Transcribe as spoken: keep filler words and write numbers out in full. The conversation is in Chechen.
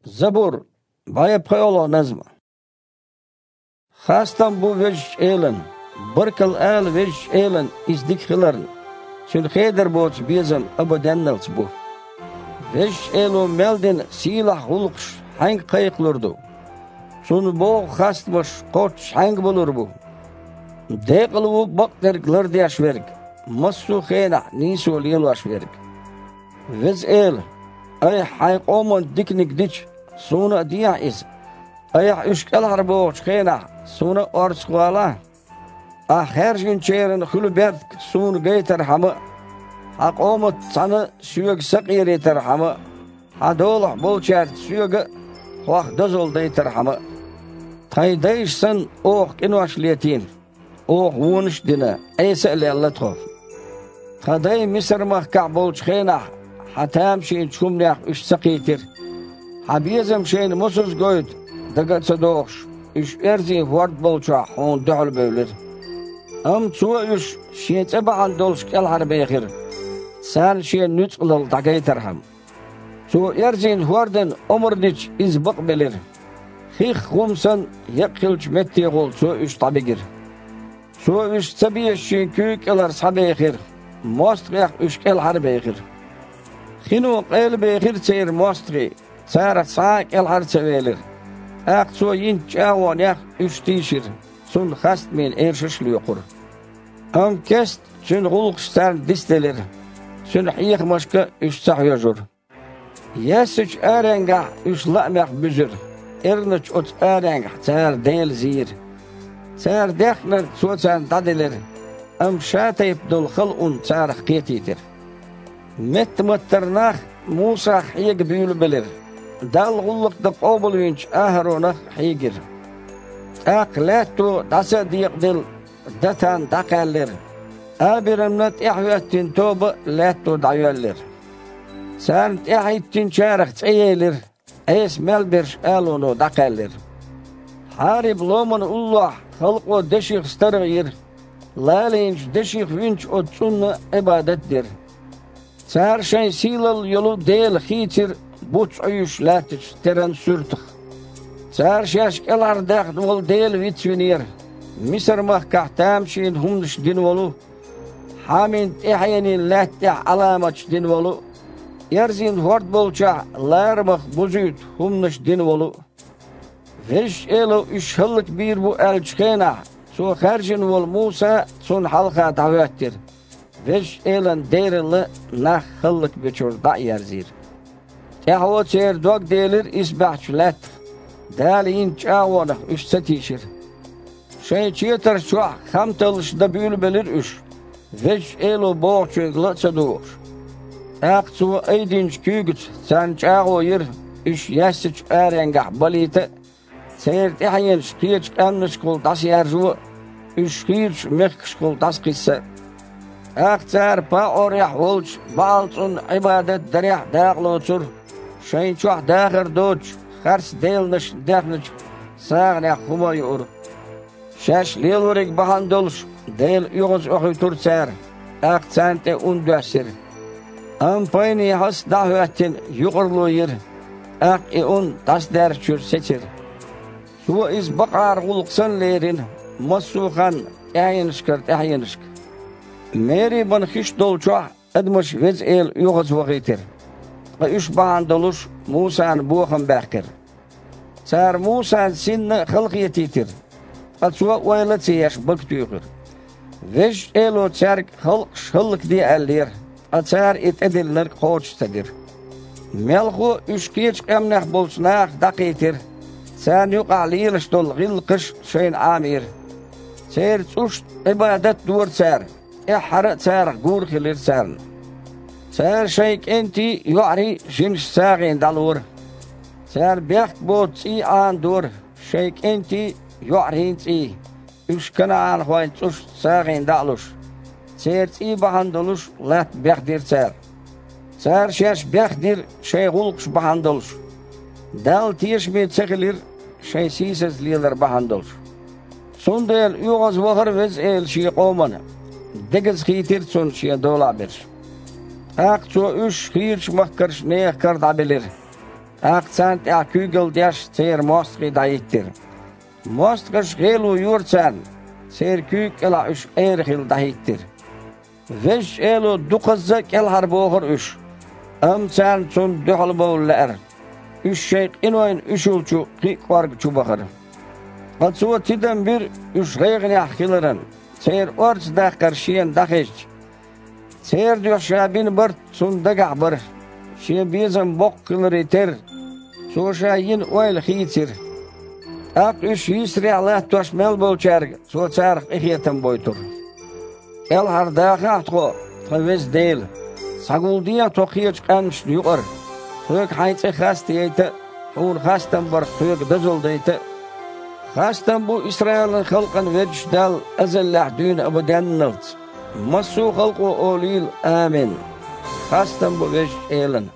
Забур, бӀе пхоьалгӀа назма. Хастам бу Везачу Элан, баркалла ала Везачу Элан иза дика хиларна, Цуьнан хедар боцу безам абаденналц бу. Везачу Эло мел дина сийлахь гӀуллакхаш хьаьнга кхайкхалур ду? Цунна богӀу хастамаш кхоччуш хьаьнга балур бу? Декъала ву бакъдерг лардеш верг, массо а хенахь нийсо лелош верг. Веза Эла, Айхьа Хьайн къоман диканиг дича, суна а дехьа иза. Айхьа уьш кӀелхьарбохучу хенахь, суна а орцах валахь. Ахь хаьржинчеран хуьлу бертиг суна гайтархьама а, Хьан къоматца цхьаьна Соьга са къерийтархьама а, Хьан долахь болчаьрца Соьга а Хьох дозалла дайтархьама а. Тхайн дайша санна, оха къинош летийна, оха вонаш а дина, Ӏеса а лелла тхо. Тхан дай Мисар-махкахь болчу хенахь Хьан тамашийначу хӀуманех уьш ца кхийтира. Хьан безам шайна мосазза гойту дага а ца дохуш, уьш оьрзийн хӀорд болчохь Хьуна дуьхьал бевлира. Амма Цо уьш Шен цӀе бахьана долуш кӀелхьарбехира, царна Шен нуьцкъалалла дӀагайтархьама. Цо оьрзийн хӀордана омра дича, иза бакъбелира. Хих хӀума санна, екъа хиллачу меттехула Цо уьш дӀабигира. Цо уьш ца безачийн куьйга кӀелара схьабехира, мостагӀех уьш кӀелхьарбехира. Хино къелабехира церан мостагӀий, царах цхьа а кӀелхьара ца велира. ТӀаккха Цо йинчу чӀагӀонех уьш тийшира, Цунна хастамийн эршаш а лоькхура. Амма кеста Цуьнан гӀуллакхаш царна дицделира, Цуьнан хьехамашка уьш ца хьоьжура. Яьссачу аренгахь уьш лаамех буьзира, эрначу оцу аренгахь цара Дела зийра. Цара дехнарг Цо царна дӀаделира, амма Ша тайпа долу халкъ царах кхетийтира. Метта-маттара нах Мусах хьега буьйлабелира, Далла гӀуллакх дан къобалвинчу АхӀаронах а хьийгира. ТӀаккха лаьтто дӀаса а декъаделла, Датан дӀакхаьллира. Абирамна тӀаьхьахӀоьттина тоба а лаьтто дӀайоьллира. Царна тӀаьхьахӀиттинчарах цӀе елира, Ӏеса мел берш алуно дӀакхаьллира. Хьариб-ломан уллохь халкъо деших старгӀа йира, лалийначу деших винчу оцу цӀунна Ӏибадат а дира. Цара шайн сийлалла йолу дела хийцира буц Ӏуьйшуш лаьттачу теран суьртах. Цара шаьш кӀелхьардаьхна волу дела вицвинера, Мисар-махкахь тамашийна хӀуманаш дина волу, Хьамин тӀаьхьенийн лаьтта тӀехь Ӏаламаташ дина волу, эрзийн хӀорд болчохь ларамах бузуьйту хӀуманаш дина волу. Везачу Эло уьш хӀаллакбийр бу аьллачу хенахь, Цо хаьржина волу Муса цунна хьалха дӀахӀоьттира, Везачу Элан дералла нах хӀаллакбечуьра дӀа а ерзийра. ТӀаьхьо церан дог делира исбаьхьчу лаьттах, Дала йинчу чӀагӀонах уьш ца тийшира. Шайн четарш чохь хам таллаш дан буьйлабелира уьш, Везачу Эло бохучуьнга ла а ца догӀуш. ТӀаккха Цо айдинчу куьйгаца царна чӀагӀо йира, уьш яьссачу аренгахь балийта а, церан тӀаьхьенаш кхечу къаьмнашкахула дӀасаяржо а, уьш хийрачу мехкашкахула дӀасакхисса а. ТӀаккха цара ПаӀорехь волчу БаӀал-цӀунна Ӏибадат дарехь а дакъалоцура, шайна чохь дахар доцучу харц деланашна дехначу сагӀанех хӀума а юура. Шаьш лелориг бахьана долуш, Дела оьгӀазоьхуьйтура цара, тӀаккха царна тӀе ун доьссира. Амма пайнехьас дӀа а хӀоьттина, юкъарло йира, тӀаккха и ун дӀасадаьржачуьра сецира. Цо иза бакъара гӀуллакх санна лерина, массо а ханна тӀаьхьенашкара тӀаьхьенашка. Мерибан хиш долчохь адамаш Веза Эла оьгӀазвахийтира, ткъа уьш бахьана долуш Мусана бохам баьккхира. Цара Мусана синна а халахетийтира, ткъа цо ойла а ца еш бага туьйхира. Везачу Эло цаьрга халкъаш хӀаллакде аьллера, ткъа цара и тӀедиллинарг кхочуш ца дира. Мелхо а уьш кхечу къаьмнех болчу нахах дӀакхийтира, царна юкъахь лелаш долу гӀиллакхаш шайна Ӏамийра. Церан цӀушна Ӏибадат а дора цара, тӀаьххьара а царах гур а хилира царна. Цара шайн кӀентий, йоӀарий жинаш сагӀина дӀалора. Цара бехк боцу цӀий Ӏанадора, шайн кӀентий, йоӀарийн цӀий, уьш канаӀанхойн цӀушна сагӀина дӀа а луш. Церан цӀий бахьана долуш латта бехдира цара. Цара шаьш бехдира шайн гӀуллакхаш бахьана долуш. Далла тешаме ца хилира шайн сийсаза лелар бахьана долуш. Цундела оьгӀазвахара Веза Эла Шен къомана, дегаза хийтира Цунна Шен долахь берш. ТӀаккха Цо уьш хийрачу махкарчу нехан кара дӀабелира. тӀаккха царна тӀехь куьйгалла деш церан мостагӀий дӀахӀиттира. МостагӀаша гӀело йора царна, церан куьйга кӀелахь уьш къера хилла дӀахӀиттира. Везачу Эло дукхазза а кӀелхьарбохура уьш, амма царна Цунна дуьхьалбовла лаьара. Уьш шайн къинойн уьшул чу кхин а кӀорга чу бахара. Ткъа Цо тидам бира уьш гӀайгӀанехь хиларан, церан орца даккхар Шена дӀахезча. Церан дуьхьа Ша бина барт Цунна дагахь бара, Шен безам боккха хиларе терра, Цо Ша йина ойла хийцира. ТӀаккха уьш йийсарехь латтош мел болчаьрга Цо царах къинхетам бойтура. КӀелхьардахахьа тхо, тхан Веза Дела, схьагулдехьа тхо кхечу къаьмнашна юкъара, тхоьга Хьайн цӀе хаста яйта а, Хьуна хастам барх тхоьга дозалла дайта а. Хастам бу Исраилан халкъан Везачу Далла азаллехь дуьйна абаденналц. Массо а халкъо олийла: «Амин». Хастам бу Везачу Элана.